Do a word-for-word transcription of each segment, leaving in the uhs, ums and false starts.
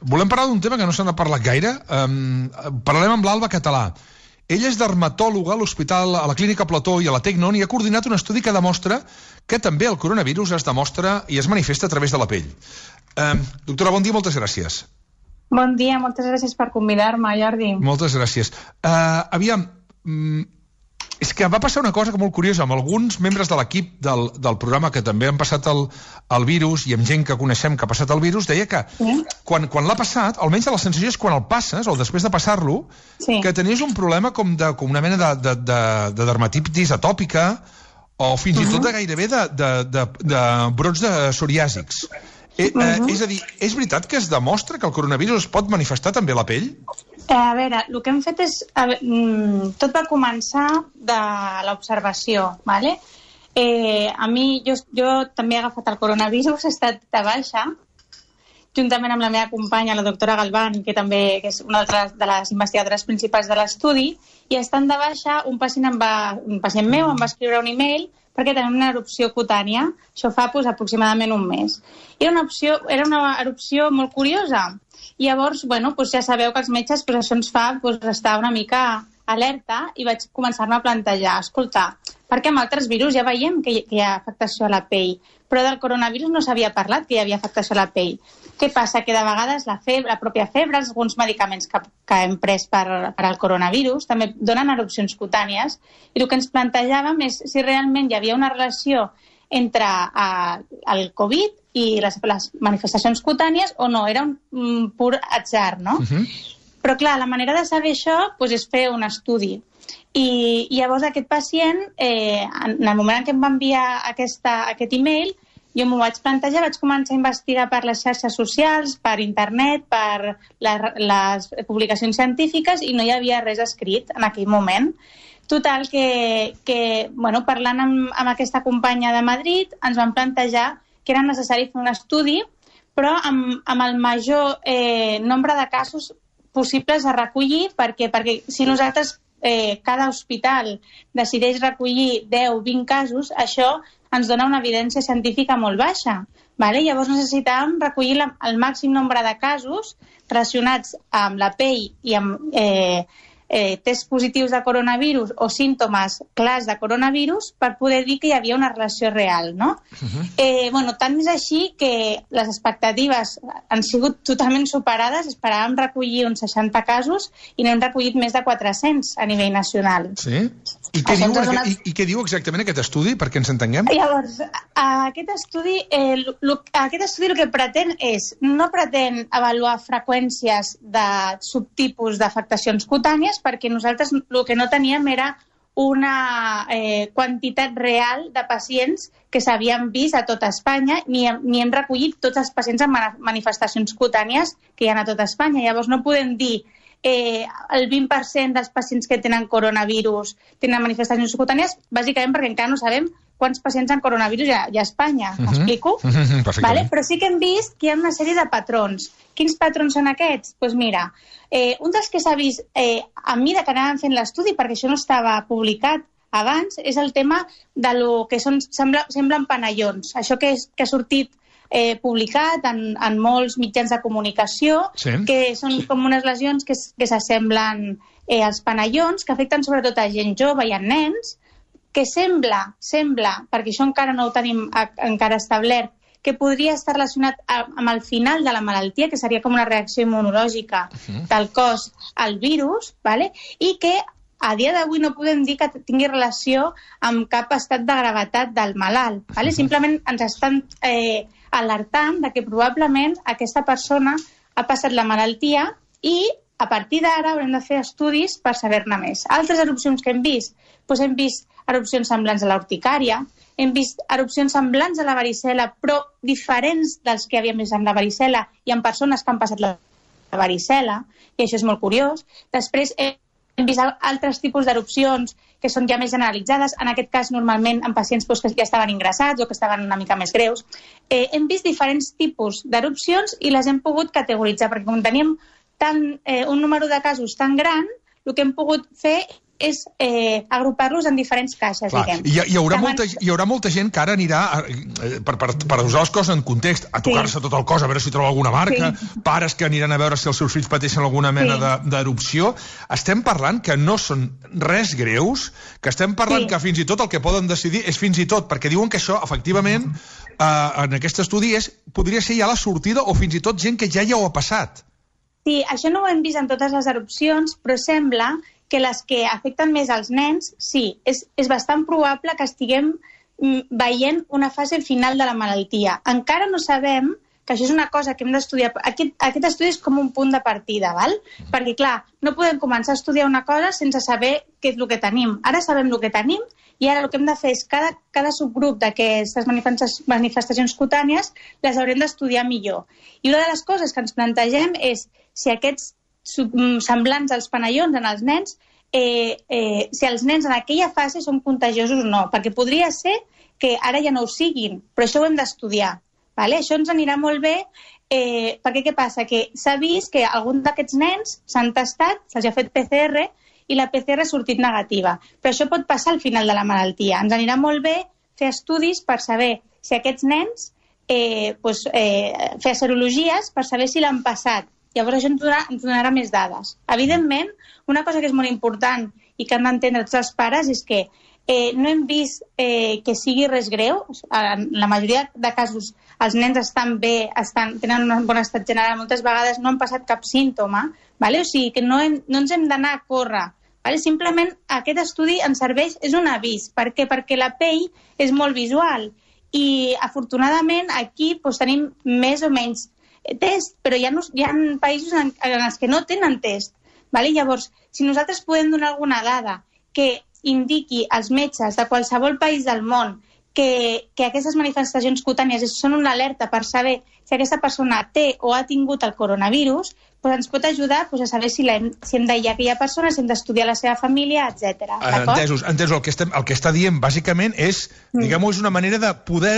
volem parlar d'un tema que no se n'ha parlat gaire. Um, parlarem amb l'Alba Català. Ella és dermatòloga a l'hospital, a la clínica Plató i a la Tecnon i ha coordinat un estudi que demostra que també el coronavirus es demostra i es manifesta a través de la pell. Um, doctora, bon dia, moltes gràcies. Bon dia, moltes gràcies per convidar-me, Jordi. Moltes gràcies. Uh, aviam, um, és que va passar una cosa molt curiosa amb alguns membres de l'equip del, del programa que també han passat el, el virus i amb gent que coneixem que ha passat el virus, deia que sí? quan, quan l'ha passat, almenys la sensació és quan el passes, o després de passar-lo, sí. que tenies un problema com, de, com una mena de, de, de, de dermatitis atòpica o fins uh -huh. i tot de gairebé de, de, de, de brots de psoriàsics. Eh, uh -huh. eh, és a dir, és veritat que es demostra que el coronavirus es pot manifestar també a la pell? Eh, a veure, el que hem fet és... Veure, tot va començar de l'observació, ¿vale? Eh, a mi, jo, jo també he agafat el coronavirus, he estat de baixa, juntament amb la meva companya, la doctora Galván, que també que és una de les investigadores principals de l'estudi, i estant de baixa, un pacient, em va, un pacient meu em va escriure un e-mail perquè tenia una erupció cutània, això fa pues, aproximadament un mes. Era una, opció, era una erupció molt curiosa. I llavors, bueno, doncs ja sabeu que els metges doncs això ens fa doncs, estar una mica alerta i vaig començar-me a plantejar, escolta, perquè amb altres virus ja veiem que hi, que hi ha afectació a la pell, però del coronavirus no s'havia parlat que hi havia afectació a la pell. Què passa? Que de vegades la, febre, la pròpia febre, alguns medicaments que, que hem pres per, per al coronavirus també donen erupcions cutànies i el que ens plantejàvem és si realment hi havia una relació entre uh, el Covid i les, les manifestacions cutànies o no, era un, un pur atzar, no? Uh-huh. Però clar, la manera de saber això doncs, és fer un estudi. I, i llavors aquest pacient, eh, en el moment en què em va enviar aquesta, aquest e-mail, jo m'ho vaig plantejar, vaig començar a investigar per les xarxes socials, per internet, per la, les publicacions científiques i no hi havia res escrit en aquell moment. Total, que, que bueno, parlant amb, amb aquesta companya de Madrid, ens vam plantejar que era necessari fer un estudi, però amb, amb el major eh, nombre de casos possibles a recollir, perquè, perquè si nosaltres, eh, cada hospital decideix recollir deu o vint casos, això ens dona una evidència científica molt baixa. Vale? Llavors necessitàvem recollir la, el màxim nombre de casos relacionats amb la pell i amb eh, eh, tests positius de coronavirus o símptomes clars de coronavirus per poder dir que hi havia una relació real, no? Uh-huh. eh, bueno, tant és així que les expectatives han sigut totalment superades, esperàvem recollir uns seixanta casos i n'hem recollit més de quatre-cents a nivell nacional. Sí? I què, diu, donat... i, i què diu exactament aquest estudi, perquè ens entenguem? Llavors, aquest estudi, eh, lo, aquest estudi el que pretén és, no pretén avaluar freqüències de subtipus d'afectacions cutànies, perquè nosaltres el que no teníem era una eh, quantitat real de pacients que s'havien vist a tota Espanya, ni, ni hem recollit tots els pacients amb manifestacions cutànies que hi ha a tota Espanya. Llavors no podem dir eh, el vint per cent dels pacients que tenen coronavirus tenen manifestacions cutànies, bàsicament perquè encara no sabem quants pacients amb coronavirus hi ha, hi ha a Espanya. Uh-huh. M'explico? Uh-huh. Vale? Però sí que hem vist que hi ha una sèrie de patrons. Quins patrons són aquests? Doncs pues mira, eh, un dels que s'ha vist eh, a mesura que anàvem fent l'estudi, perquè això no estava publicat abans, és el tema de lo que són, sembla, semblen panellons. Això que, és, que ha sortit eh, publicat en, en molts mitjans de comunicació, sí. Que són com unes lesions que, que s'assemblen eh, als panellons, que afecten sobretot a gent jove i a nens, que sembla, sembla, perquè això encara no ho tenim a, encara establert, que podria estar relacionat a, amb el final de la malaltia, que seria com una reacció immunològica uh-huh. del cos al virus, ¿vale? I que a dia d'avui no podem dir que tingui relació amb cap estat de gravetat del malalt. ¿Vale? Uh-huh. Simplement ens estan eh, alertant de que probablement aquesta persona ha passat la malaltia i a partir d'ara haurem de fer estudis per saber-ne més. Altres erupcions que hem vist, doncs hem vist erupcions semblants a la urticària, hem vist erupcions semblants a la varicel·la, però diferents dels que havíem vist amb la varicel·la i en persones que han passat la varicel·la, i això és molt curiós. Després hem vist altres tipus d'erupcions que són ja més generalitzades, en aquest cas normalment en pacients doncs, que ja estaven ingressats o que estaven una mica més greus. Eh, hem vist diferents tipus d'erupcions i les hem pogut categoritzar, perquè com teníem tan, eh, un número de casos tan gran, el que hem pogut fer és eh, agrupar-los en diferents caixes, Clar, diguem. Hi, hi, haurà Demant... molta, hi haurà molta gent que ara anirà, eh, per, per, per usar les coses en context, a tocar-se sí. tot el cos, a veure si troba alguna marca, sí. pares que aniran a veure si els seus fills pateixen alguna mena sí. d'erupció. Estem parlant que no són res greus, que estem parlant sí. que fins i tot el que poden decidir és fins i tot, perquè diuen que això, efectivament, eh, en aquest estudi és, podria ser ja la sortida o fins i tot gent que ja ja ho ha passat. Sí, això no ho hem vist en totes les erupcions, però sembla que les que afecten més als nens, sí, és, és bastant probable que estiguem veient una fase final de la malaltia. Encara no sabem, que això és una cosa que hem d'estudiar, aquest, aquest estudi és com un punt de partida, val? Perquè, clar, no podem començar a estudiar una cosa sense saber què és el que tenim. Ara sabem el que tenim i ara el que hem de fer és cada, cada subgrup d'aquestes manifestacions cutànies les haurem d'estudiar millor. I una de les coses que ens plantegem és si aquests semblants als panellons en els nens, eh, eh, si els nens en aquella fase són contagiosos o no, perquè podria ser que ara ja no ho siguin, però això ho hem d'estudiar. Vale? Això ens anirà molt bé, eh, perquè què passa? Que s'ha vist que algun d'aquests nens s'han tastat, se'ls ha fet P C R i la P C R ha sortit negativa, però això pot passar al final de la malaltia. Ens anirà molt bé fer estudis per saber si aquests nens, eh, doncs, eh, fer serologies per saber si l'han passat. Llavors això ens donarà, ens donarà més dades. Evidentment, una cosa que és molt important i que han d'entendre tots els pares és que eh, no hem vist eh, que sigui res greu. En la majoria de casos els nens estan bé, estan, tenen un bon estat general, moltes vegades no han passat cap símptoma, vale? O sigui que no, hem, no ens hem d'anar a córrer. Vale? Simplement aquest estudi ens serveix, és un avís. Per què? Perquè la pell és molt visual i afortunadament aquí doncs, tenim més o menys test, però hi ha, hi ha països en, en els que no tenen test. Vale? Llavors, si nosaltres podem donar alguna dada que indiqui als metges de qualsevol país del món que, que aquestes manifestacions cutànies són una alerta per saber si aquesta persona té o ha tingut el coronavirus, doncs ens pot ajudar doncs, a saber si, hem, si hem d'aïllar aquella persona, si hem d'estudiar la seva família, etcètera. Entesos, entesos. El que, estem, el que està dient, bàsicament, és, mm. diguem-ho, és una manera de poder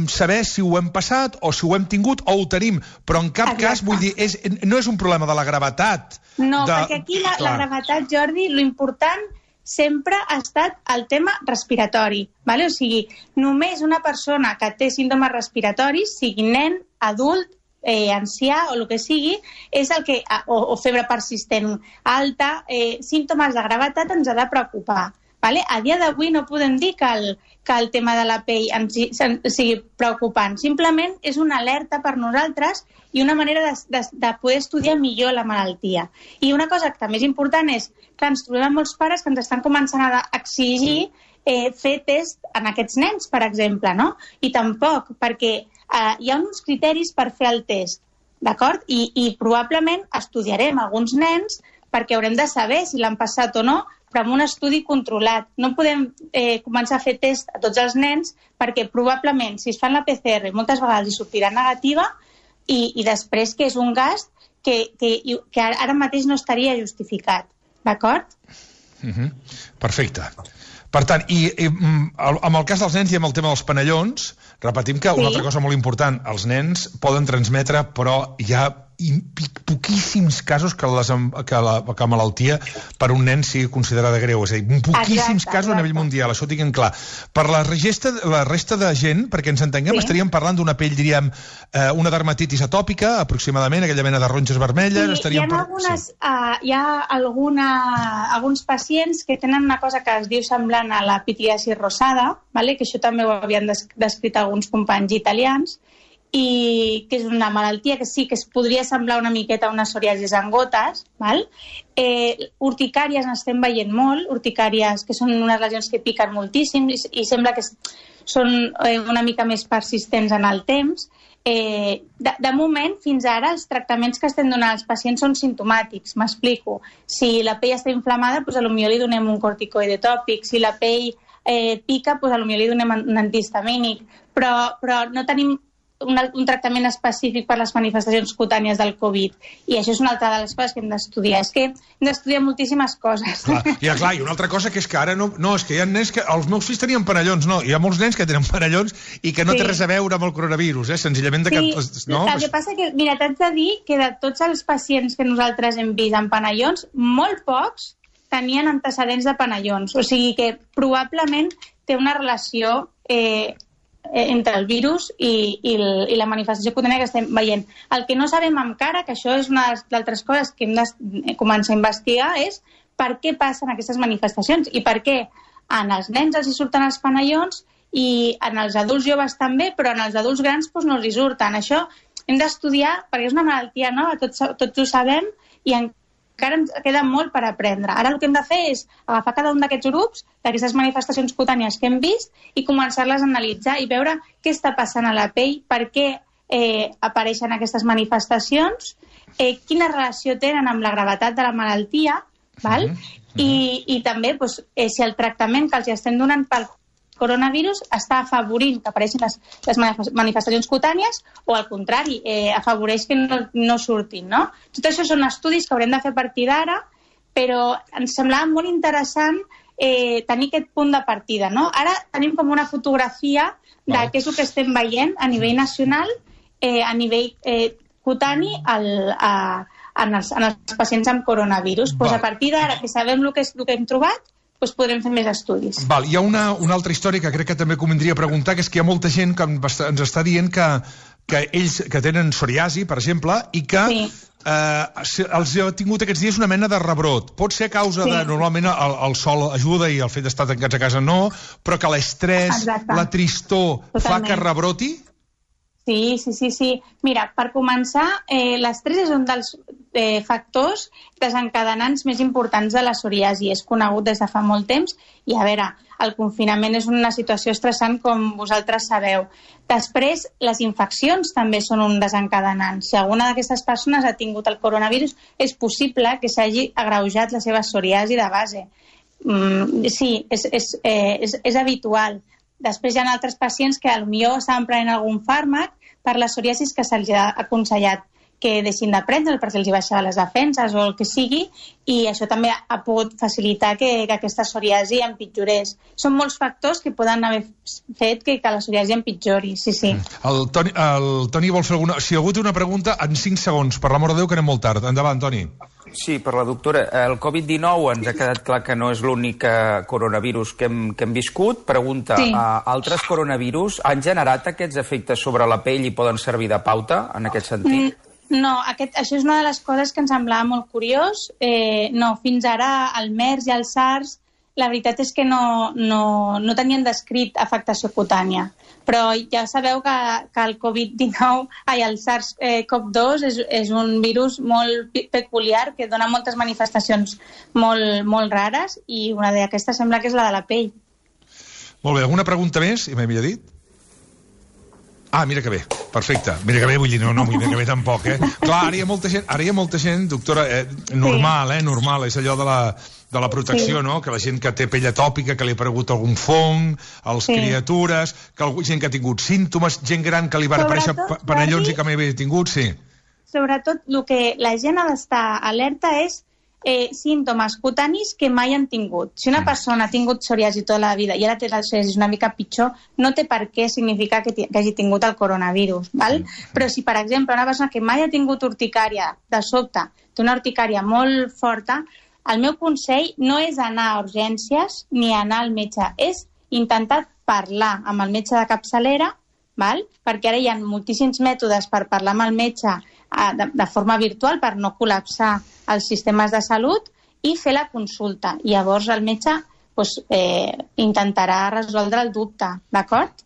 saber si ho hem passat o si ho hem tingut o ho tenim, però en cap Exacte. cas, vull dir, és, no és un problema de la gravetat. No, de... perquè aquí la, la gravetat, Jordi, l'important sempre ha estat el tema respiratori. Vale? O sigui, només una persona que té símptomes respiratoris, sigui nen, adult, eh, ancià o el que sigui, és el que, o, o febre persistent alta, eh, símptomes de gravetat ens ha de preocupar. Vale? A dia d'avui no podem dir que el, que el tema de la pell ens, ens sigui preocupant. Simplement és una alerta per nosaltres i una manera de, de, de poder estudiar millor la malaltia. I una cosa que també és important és que ens trobem molts pares que ens estan començant a exigir eh, fer test en aquests nens, per exemple, no? I tampoc, perquè eh, hi ha uns criteris per fer el test, d'acord? I, I probablement estudiarem alguns nens perquè haurem de saber si l'han passat o no, però amb un estudi controlat. No podem eh, començar a fer test a tots els nens perquè probablement si es fan la P C R moltes vegades hi sortirà negativa i, i després que és un gast que, que, que ara mateix no estaria justificat. D'acord? Uh-huh. Perfecte. Per tant, i, i amb el cas dels nens i amb el tema dels panellons, repetim que sí. una altra cosa molt important, els nens poden transmetre, però hi ha poquíssims casos que, les, que la que la malaltia per un nen sigui considerada greu. És a dir, poquíssims exacte, casos exacte. a nivell mundial, això ho tinguem clar. Per la resta, la resta de gent, perquè ens entenguem, sí. estaríem parlant d'una pell, diríem, eh, una dermatitis atòpica, aproximadament, aquella mena de ronges vermelles. Sí, estaríem hi ha, per... algunes, sí. uh, hi ha alguna, alguns pacients que tenen una cosa que es diu semblant a la pitiasi rosada, vale? Que això també ho havien descrit alguns companys italians, i que és una malaltia que sí que es podria semblar una miqueta a una psoriasis en gotes, val? Eh, urticàries n'estem veient molt, urticàries que són unes lesions que piquen moltíssim i, i sembla que són eh, una mica més persistents en el temps. Eh, de, de moment, fins ara, els tractaments que estem donant als pacients són simptomàtics, m'explico. Si la pell està inflamada, doncs potser li donem un corticoide tòpic, si la pell eh, pica, doncs potser li donem un antihistamínic, però, però no tenim Un, un tractament específic per les manifestacions cutànies del Covid. I això és una altra de les coses que hem d'estudiar. És que hem d'estudiar moltíssimes coses. Clar, i, clar, i una altra cosa que és que ara no... No, és que hi ha nens que... Els meus fills tenien panellons, no. Hi ha molts nens que tenen panellons i que no sí. té res a veure amb el coronavirus, eh? Senzillament de sí, que... No? El que passa que, mira, t'haig de dir que de tots els pacients que nosaltres hem vist amb panellons, molt pocs tenien antecedents de panellons. O sigui que probablement té una relació eh, entre el virus i, i, el, i la manifestació cutània que estem veient. El que no sabem encara, que això és una de les altres coses que hem de començar a investigar, és per què passen aquestes manifestacions i per què en els nens els hi surten els panellons i en els adults joves també, però en els adults grans doncs, no els hi surten. Això hem d'estudiar, perquè és una malaltia nova, tots, tots ho sabem, i encara ens queda molt per aprendre. Ara el que hem de fer és agafar cada un d'aquests grups, d'aquestes manifestacions cutànies que hem vist, i començar-les a analitzar i veure què està passant a la pell, per què eh, apareixen aquestes manifestacions, eh, quina relació tenen amb la gravetat de la malaltia, val? Mm-hmm. I, i també doncs, eh, si el tractament que els estem donant pel coronavirus està afavorint que apareixin les, les manifestacions cutànies o, al contrari, eh, afavoreix que no, no surtin, no? Tot això són estudis que haurem de fer a partir d'ara, però ens semblava molt interessant eh, tenir aquest punt de partida, no? Ara tenim com una fotografia de què és el que estem veient a nivell nacional, eh, a nivell eh, cutani al, a, en, els, en els pacients amb coronavirus. Pues a partir d'ara, que sabem el que, és, el que hem trobat, doncs podrem fer més estudis. Val, hi ha una, una altra història que crec que també convindria preguntar, que és que hi ha molta gent que ens està dient que, que ells que tenen psoriasi, per exemple, i que sí. eh, els ha tingut aquests dies una mena de rebrot. Pot ser a causa sí. de... Normalment el, el sol ajuda i el fet d'estar tancats a casa no, però que l'estrès, la tristor, Totalment. fa que rebroti? Sí, sí, sí, sí. Mira, per començar, eh, l'estrès és un dels eh, factors desencadenants més importants de la psoriasi. És conegut des de fa molt temps i, a veure, el confinament és una situació estressant, com vosaltres sabeu. Després, les infeccions també són un desencadenant. Si alguna d'aquestes persones ha tingut el coronavirus, és possible que s'hagi agreujat la seva psoriasi de base. Mm, sí, és, és, eh, és, és habitual. Després hi ha altres pacients que potser estaven prenent algun fàrmac per la psoriasi que se'ls ha aconsellat que deixin de prendre perquè els hi baixava les defenses o el que sigui, i això també ha pogut facilitar que, que aquesta psoriasi empitjorés. Són molts factors que poden haver fet que, que la psoriasi empitjori, sí, sí. El Toni, el Toni vol fer alguna... Si algú té una pregunta, en cinc segons, per l'amor de Déu, que anem molt tard. Endavant, Toni. Sí, per la doctora. El covid dinou ens ha quedat clar que no és l'únic coronavirus que hem, que hem viscut. Pregunta, sí. uh, altres coronavirus han generat aquests efectes sobre la pell i poden servir de pauta en aquest sentit? Mm. No, aquest, això és una de les coses que ens semblava molt curiós. Eh, no, fins ara el MERS i el SARS, la veritat és que no, no, no tenien descrit afectació cutània. Però ja sabeu que, que el covid dinou, ai, el SARS CoV dos és, és un virus molt peculiar que dona moltes manifestacions molt, molt rares i una d'aquestes sembla que és la de la pell. Molt bé, alguna pregunta més? I m'he millor dit? Ah, mira que bé, perfecte. Mira que bé, vull dir, no, no, mira que bé tampoc, eh? Clar, ara hi ha molta gent, ara hi ha molta gent, doctora, eh, normal, eh, normal, és allò de la, de la protecció, sí. no? Que la gent que té pell atòpica, que li ha aparegut algun fong, els sí. criatures, que algú, gent que ha tingut símptomes, gent gran que li van aparèixer panellons i que mai havia tingut, sí. Sobretot, el que la gent ha d'estar alerta és Eh, símptomes cutanis que mai han tingut. Si una persona ha tingut psoriasi tota la vida i ara té la psoriasi una mica pitjor, no té per què significar que, que hagi tingut el coronavirus, val? Però si, per exemple, una persona que mai ha tingut urticària, de sobte, té una urticària molt forta, el meu consell no és anar a urgències ni anar al metge, és intentar parlar amb el metge de capçalera, val? Perquè ara hi ha moltíssims mètodes per parlar amb el metge de, de forma virtual per no col·lapsar els sistemes de salut i fer la consulta. I llavors el metge doncs, eh, intentarà resoldre el dubte, d'acord?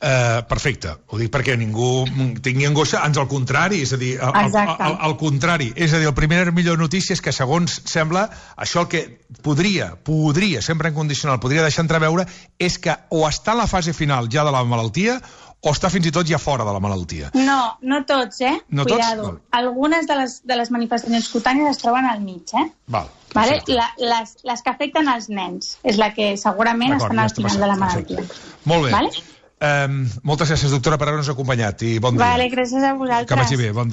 Uh, perfecte. Ho dic perquè ningú tingui angoixa, ans al contrari, és a dir, al, al, al, al contrari. És a dir, el primer millor notícia és que, segons sembla, això el que podria, podria, sempre en condicional, podria deixar entreveure, és que o està en la fase final ja de la malaltia o està fins i tot ja fora de la malaltia. No, no tots, eh? No Cuidado. Tots? Algunes de les, de les manifestacions cutànies es troben al mig, eh? Val. Vale? La, les, les que afecten els nens és la que segurament estan al final de la malaltia. Molt bé. Vale? Um, moltes gràcies, doctora, per haver-nos acompanyat i bon dia. Vale, gràcies a vosaltres. Que vagi bé, bon dia.